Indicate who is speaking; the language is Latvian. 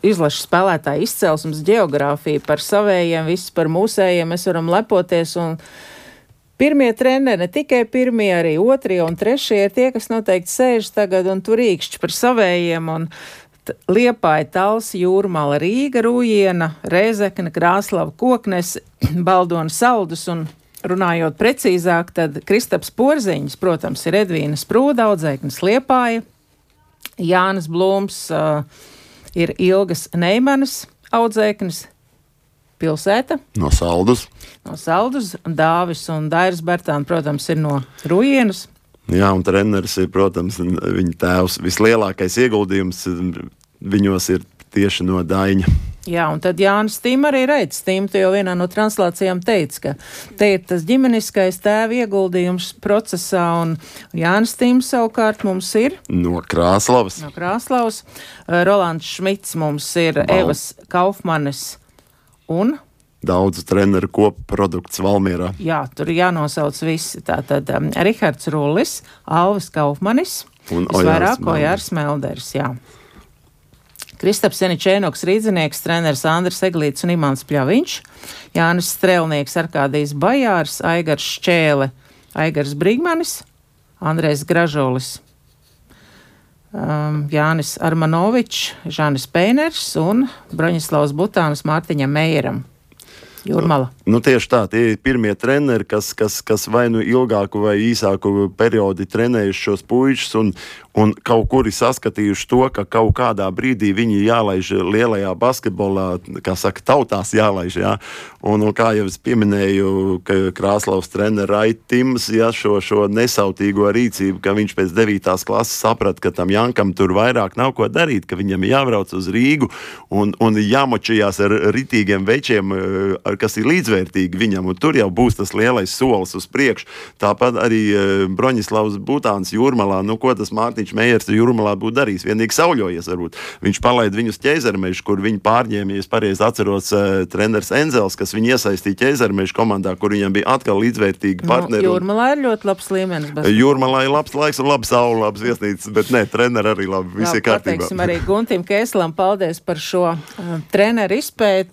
Speaker 1: izlašu spēlētāju izcelsmes ģeogrāfiju, par savējiem, viss par mūsējiem, mēs varam lepoties, un pirmie treneri, ne tikai pirmie, arī otrie un trešie ir tie, kas noteikti sēž tagad un tur īkšķi par savējiem, un Liepāja, Talsi, Jūrmala, Rīga, Rūjiena, Rēzekne, Krāslava, Koknes, Baldona, Saldus, un runājot precīzāk, tad Kristaps Porziņš, protams, ir Edvīna Sprūda, Audzēknes Liepāja, Jānis Blūms, ir Ilgas Neimanas, Audzēknes pilsēta.
Speaker 2: No Saldus.
Speaker 1: No Saldus, Dāvis un Dairis Bertāni, protams, ir no Rujienas.
Speaker 2: Jā, un treneris ir, protams, viņa tēvs. Vislielākais ieguldījums viņos ir tieši no Daiņa.
Speaker 1: Jā, un tad Jānis Stīm arī redz. Stīm, tu jau vienā no translācijām teici, ka te ir tas ģimeniskais tēva ieguldījums procesā, un Jānis Stīm savukārt mums ir
Speaker 2: no Krāslavas.
Speaker 1: No Krāslavas. Rolands Šmits mums ir Evas Kaufmanes un
Speaker 2: daudzu treneru koprodukts Valmierā.
Speaker 1: Jā, tur jānosauc visi. Tātad Rihards Rullis, Alvis Kaufmanis, visvairāk Ojārs Melders, jā. Kristaps Seničēnoks, Rīdzinieks, treneris Andris Eglīts un Imants Pļaviņš, Jānis Strelnieks, Arkādijs Bajārs, Aigars Šķēle, Aigars Brigmanis, Andrejs Gražolis, Jānis Armanovičs, Žanis Peiners un Broņislavs Butānis Mārtiņam Meijeram. Jūrmala.
Speaker 2: Nu, tieši tā, tie ir pirmie treneri, kas vai nu ilgāku vai īsāku periodi trenējuši šos puišus un kaut kuri saskatījuši to, ka kaut kādā brīdī viņi jālaiž lielajā basketbolā, kā saka, tautās jālaiž, jā. Un kā jau es pieminēju, ka Krāslavas treneri Raiti Tims, jā, šo nesautīgo rīcību, ka viņš pēc 9. klases saprata, ka tam Jankam tur vairāk nav ko darīt, ka viņam jābrauc uz Rīgu un jāmočījās ar ritīgiem večiem, kas ir līdzvērtīgi viņam, un tur jau būs tas lielais solis uz priekšu. Tāpat arī Broņislavs Butāns Jūrmalā, nu ko tas Mārtiņš Meijers Jūrmalā būtu darījis, vienīgi sauļojies varbūt. Viņš palaid viņus Ķeizermežu, kur viņi pārņēma, ja es pareizi atceros, treneris Enzels, kas viņu iesaistīja Ķeizermežu komandā, kur viņam bija atkal līdzvērtīgi partneri.
Speaker 1: Jūrmalā ir ļoti labs līmenis.
Speaker 2: Jūrmalā ir labs laiks un labs saule, labs viesnīcas, bet ne, treneri arī labi, visi ir kārtībā.
Speaker 1: Pateiksim arī Guntim Kēslam paldies par šo treneru izpēti.